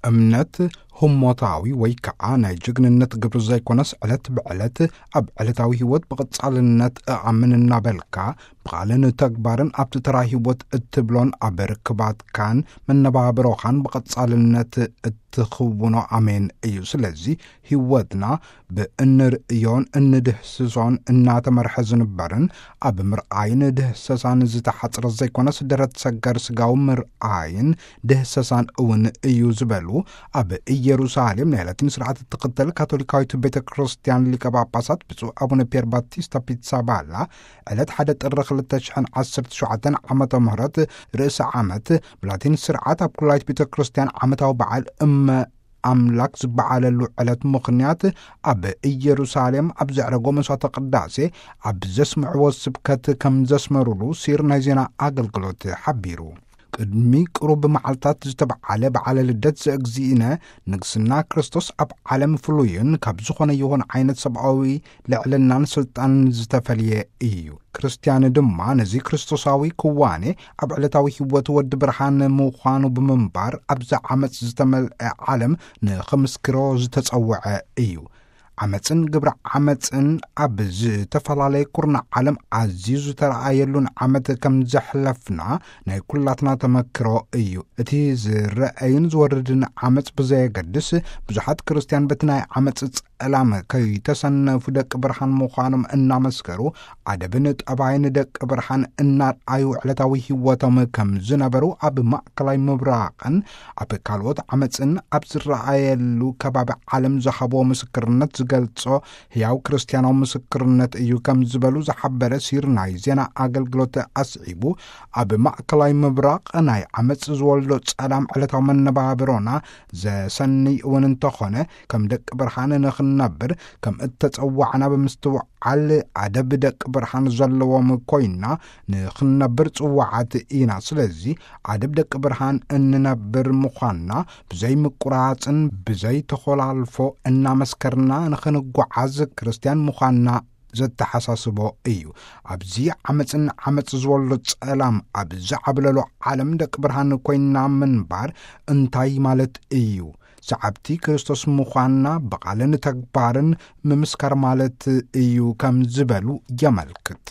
እምነት ህሞታዊ ወይ ከዓ ናይ ጅግንነት ግብሪ ዘይኮነስ፣ ዕለት ብዕለት ኣብ ዕለታዊ ህይወት ብቐጻልነት እኣምን እናበልካ፣ ብቓልን ተግባርን ኣብቲ ተራ ህይወት እትብሎን ኣብ ርክባትካን መነባብሮኻን ብቐጻልነት እትኽውኖ ኣሜን እዩ። ስለዚ ህይወትና ብእንርእዮን እንድህስሶን እናተመርሐ ዝንበርን፣ ኣብ ምርኣይን ድህሰሳን ዝተሓጽረ ዘይኮነስ፣ ደረት ሰገር ስጋዊ ምርኣይን ድህሰሳን እውን እዩ ዝበሉ፣ ኣብ ኢየሩሳሌም ናይ ላቲን ስርዓት እትኽተል ካቶሊካዊት ቤተ ክርስቲያን ሊቀ ጳጳሳት ብፁዕ ኣቡነ ፒየር ባቲስታ ፒትሳባላ፣ ዕለት ሓደ ጥሪ ክልተ ሽሕን ዓሰርተ ሸውዓተን ዓመተ ምህረት ርእሰ ዓመት ብላቲን ስርዓት ኣብ ኩላይት ቤተ ክርስቲያን ዓመታዊ በዓል እመ ኣምላክ ዝበዓለሉ ዕለት ምኽንያት፣ ኣብ ኢየሩሳሌም ኣብ ዘዕረጎ መስዋዕተ ቅዳሴ ኣብ ዘስምዕዎ ስብከት ከም ዘስመሩሉ ሲር ናይ ዜና ኣገልግሎት ሓቢሩ። ቅድሚ ቅሩብ መዓልታት ዝተበዓለ በዓለ ልደት ዘእግዚእነ ንግስና ክርስቶስ ኣብ ዓለም ፍሉይን ካብ ዝኾነ ይኹን ዓይነት ሰብኣዊ ልዕልናን ስልጣንን ዝተፈልየ እዩ። ክርስትያን ድማ ነዚ ክርስቶሳዊ ክዋኔ ኣብ ዕለታዊ ህይወት ወዲ ብርሃን ምዃኑ ብምንባር፣ ኣብዛ ዓመጽ ዝተመልአ ዓለም ንኽምስክሮ ዝተጸውዐ እዩ። ዓመጽን ግብረ ዓመጽን ኣብ ዝተፈላለየ ኩርናዕ ዓለም ኣዝዩ ዝተረኣየሉን ዓመት ከም ዘሕለፍና ናይ ኩላትና ተመክሮ እዩ። እቲ ዝረኣይን ዝወርድን ዓመጽ ብዘየገድስ፣ ብዙሓት ክርስትያን በቲ ናይ ዓመጽ ጸላም ከይተሰነፉ ደቂ ብርሃን ምዃኖም እናመስከሩ፣ ኣደብን ጠባይን ደቂ ብርሃን እናርኣዩ ዕለታዊ ህይወቶም ከም ዝነበሩ ኣብ ማእከላይ ምብራቕን ኣብ ካልኦት ዓመጽን ኣብ ዝረኣየሉ ከባቢ ዓለም ዝሃብዎ ምስክርነት ዝገልጾ ህያው ክርስትያናዊ ምስክርነት እዩ ከም ዝበሉ ዝሓበረ ሲር ናይ ዜና ኣገልግሎት ኣስዒቡ፣ ኣብ ማእከላይ ምብራቕ ናይ ዓመጽ ዝወልዶ ጸላም ዕለታዊ መነባብሮና ዘሰንይ እውን እንተኾነ፣ ከም ደቂ ብርሃን ንኽንነብር ከም እተጸዋዕና ብምስትውዓል፣ ኣደብ ደቂ ብርሃን ዘለዎም ኮይና ንኽንነብር ጽዋዓት ኢና። ስለዚ ኣደብ ደቂ ብርሃን እንነብር ምዃንና ብዘይ ምቁራጽን ብዘይ ተኾላልፎ እናመስከርና ንኽንጓዓዝ፣ ክርስትያን ምዃንና ዘተሓሳስቦ እዩ። ኣብዚ ዓመጽን ዓመጽ ዝወልዶ ጸላም ኣብ ዝዓብለሎ ዓለም ደቂ ብርሃን ኮይንና ምንባር እንታይ ማለት እዩ? ሰዓብቲ ክርስቶስ ምዃንና ብቓልን ተግባርን ምምስካር ማለት እዩ ከም ዝበሉ የመልክት።